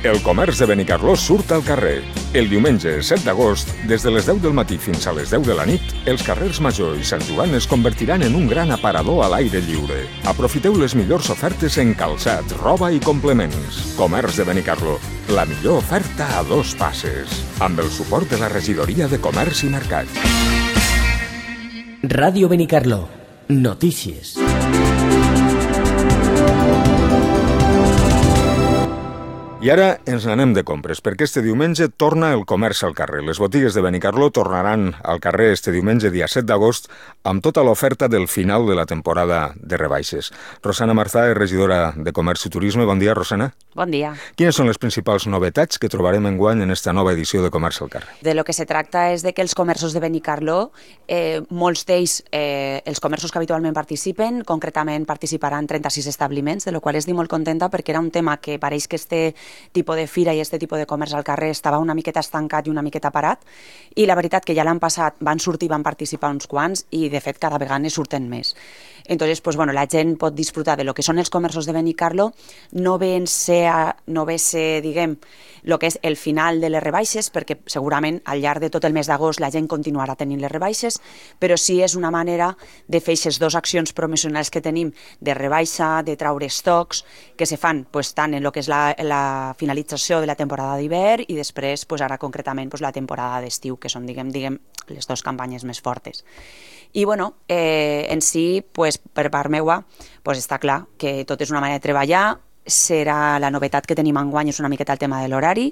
El comerç de Benicarló surt al carrer. El diumenge 7 d'agost, des de les 10 del matí fins a les 10 de la nit, els carrers Major i Sant Joan es convertiran en un gran aparador a l'aire lliure. Aprofiteu les millors ofertes en calçat, roba i complements. Comerç de Benicarló, la millor oferta a 2 passes. Amb el suport de la Regidoria de Comerç i Mercat. Ràdio Benicarló. Notícies. I ara ens n'anem de compres, perquè este diumenge torna el comerç al carrer. Les botigues de Benicarló tornaran al carrer este diumenge, dia 7 d'agost, amb tota l'oferta del final de la temporada de rebaixes. Rosana Marzà és regidora de Comerç i Turisme. Bon dia, Rosana. Bon dia. Quines són les principals novetats que trobarem enguany en esta nova edició de Comerç al carrer? De lo que se tracta és de que els comerços de Benicarló, molts d'ells, els comerços que habitualment participen, concretament participaran 36 establiments, de lo qual estic molt contenta perquè era un tema que pareix que este tipus de fira i este tipus de comerç al carrer estava una miqueta estancat i una miqueta parat, i la veritat que ja l'any passat van sortir i van participar uns quants i de fet cada vegada ne surten més. Entonces, pues bueno, la gent pot disfrutar de lo que són els comerços de Benicarló, no ve ser, diguem, el que és el final de les rebaixes, perquè segurament al llarg de tot el mes d'agost la gent continuarà tenint les rebaixes, però sí és una manera de fer aquestes 2 accions promocionals que tenim de rebaixa, de traure estocs, que se fan pues, tant en el que és la finalització de la temporada d'hivern i després, pues, ara concretament, pues, la temporada d'estiu, que són, diguem, les 2 campanyes més fortes. I bueno, en si, pues, per part meua, pues, està clar que tot és una manera de treballar. Serà la novetat que tenim enguany és una miqueta el tema de l'horari.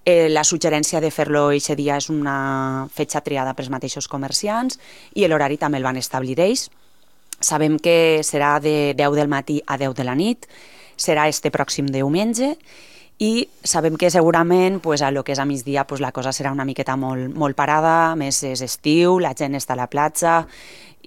La suggerència de fer-lo aquest dia és una fetge triada pels mateixos comerciants i l'horari també el van establir ells. Sabem que serà de 10 del matí a 10 de la nit, serà este pròxim diumenge, i sabem que segurament pues, a lo que és a migdia pues, la cosa serà una miqueta molt parada, més és estiu, la gent està a la platja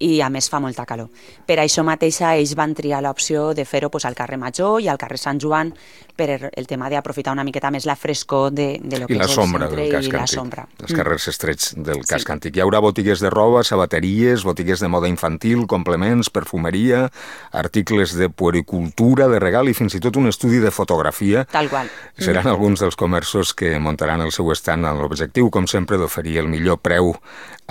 i a més fa molta calor. Per això mateixa ells van triar l'opció de fer-ho pues, al carrer Major i al carrer Sant Joan per el tema d'aprofitar una miqueta més la frescor de lo que és el centre i la sombra. Els carrers estrets del casc antic. Hi haurà botigues de roba, sabateries, botigues de moda infantil, complements, perfumeria, articles de puericultura, de regal i fins i tot un estudi de fotografia. Tal qual. Seran alguns dels comerços que muntaran el seu estand amb l'objectiu, com sempre, d'oferir el millor preu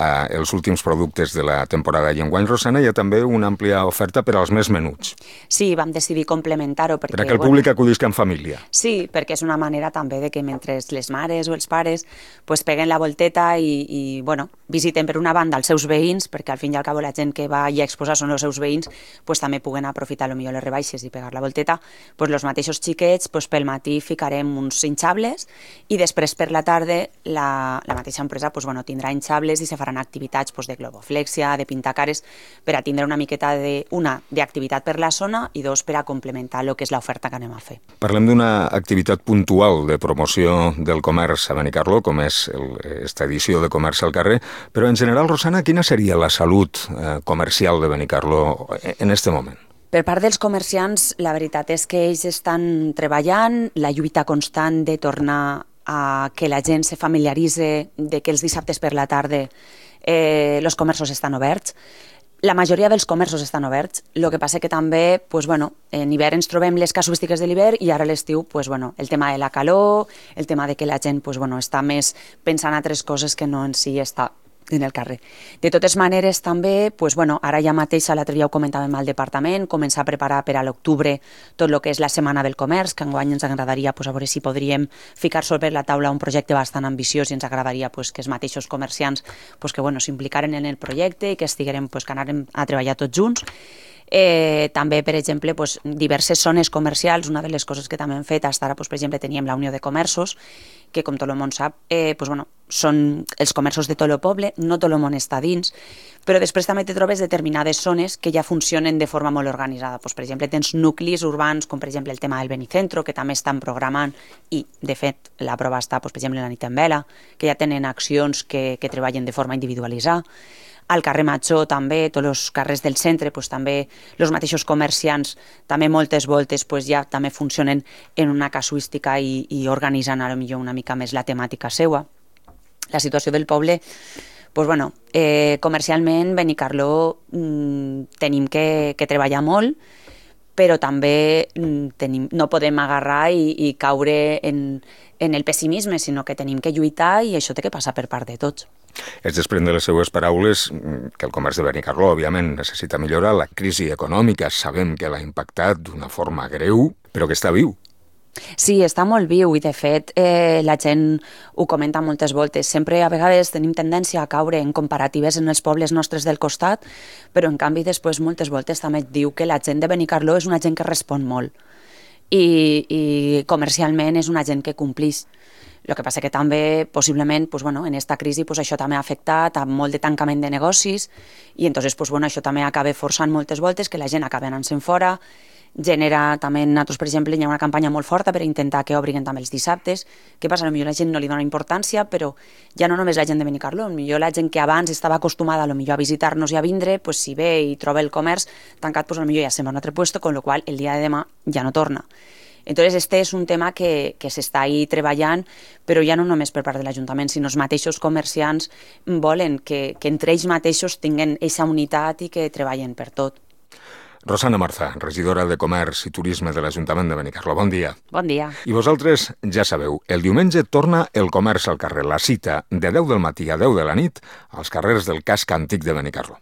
als últims productes de la temporada. I enguany, Rosana, hi ha també una àmplia oferta per als més menuts. Sí, vam decidir complementar-ho perquè... Per a que el públic acudisca en família. Sí, perquè és una manera també de que mentre les mares o els pares pues, peguen la volteta i bueno, visiten per una banda els seus veïns, perquè al fin i al cabo la gent que va i a exposar són els seus veïns, pues, també puguen aprofitar millor les rebaixes i pegar la volteta, pues, els mateixos xiquets pues, pel matí ficarem uns hinchables i després per la tarda la mateixa empresa pues, bueno, tindrà hinchables i se faran activitats pues, de globoflexia, de pintar cares, per a tindre una miqueta d'activitat per la zona i 2 per a complementar el que és l'oferta que anem a fer. Parlem d'una activitat puntual de promoció del comerç a Benicarló, com és esta edició de Comerç al carrer, però en general, Rosana, quina seria la salut comercial de Benicarló en este moment? Per part dels comerciants, la veritat és que ells estan treballant, la lluita constant de tornar a que la gent se familiaritzi de que els dissabtes per la tarda els comerços estan oberts. La majoria dels comerços estan oberts, el que passa que també, pues, bueno, en hivern ens trobem les casuístiques de l'hivern i ara a l'estiu, pues, bueno, el tema de la calor, el tema de que la gent pues, bueno, està més pensant en altres coses que no en si està en el carrer. De totes maneres, també, pues, bueno, ara ja mateix, l'altre dia ho comentàvem al departament, començar a preparar per a l'octubre tot el que és la Setmana del Comerç, que enguany ens agradaria pues, a veure si podríem ficar sobre la taula un projecte bastant ambiciós i ens agradaria pues, que els mateixos comerciants pues, que, bueno, s'implicaran en el projecte i que estiguem, pues, que anàrem a treballar tots junts. També, per exemple, pues, diverses zones comercials. Una de les coses que també hem fet fins ara, pues, per exemple, teníem la Unió de Comerços, que com tot el món sap, pues, bueno, són els comerços de tot el poble, no tot el món està dins, però després també te trobes determinades zones que ja funcionen de forma molt organitzada. Pues, per exemple, tens nuclis urbans, com per exemple el tema del Benicentro, que també estan programant i, de fet, la prova està, pues, per exemple, la nit en vela, que ja tenen accions que treballen de forma individualitzada. Al carrer Major també, tots els carrers del centre, pues, també els mateixos comerciants, també moltes voltes pues, ja també funcionen en una casuística i organitzen a lo millor una mica més la temàtica seua. La situació del poble, pues, bueno, comercialment Benicarló tenim que treballar molt, però també no podem agarrar i caure en el pessimisme, sinó que tenim que lluitar i això té que passar per part de tots. Es desprèn de les seues paraules que el comerç de Benicarló, òbviament, necessita millorar. La crisi econòmica sabem que l'ha impactat d'una forma greu, però que està viu. Sí, està molt viu i, de fet, la gent ho comenta moltes voltes. Sempre, a vegades, tenim tendència a caure en comparatives en els pobles nostres del costat, però, en canvi, després, moltes voltes també et diu que la gent de Benicarló és una gent que respon molt i comercialment és una gent que complix. El que passa que també, possiblement, en aquesta crisi això també ha afectat a molt de tancament de negocis i entonces això també acaba forçant moltes voltes que la gent acaba anant-se'n fora. Genera també, nosaltres, per exemple, hi ha una campanya molt forta per intentar que obriguen també els dissabtes. Què passa? Potser la gent no li dona importància, però ja no només la gent de Benicarló, potser la gent que abans estava acostumada a visitar-nos i a vindre, si ve i troba el comerç tancat, potser ja se'n va a un altre lloc, con lo qual el dia de demà ja no torna. Entonces, este és un tema que s'està ahí treballant, però ja no només per part de l'Ajuntament, sinó els mateixos comerciants volen que entre ells mateixos tinguin aquesta unitat i que treballen per tot. Rosana Marza, regidora de Comerç i Turisme de l'Ajuntament de Benicarló. Bon dia. Bon dia. I vosaltres ja sabeu, el diumenge torna el comerç al carrer. La cita de 10 del matí a 10 de la nit als carrers del casc antic de Benicarló.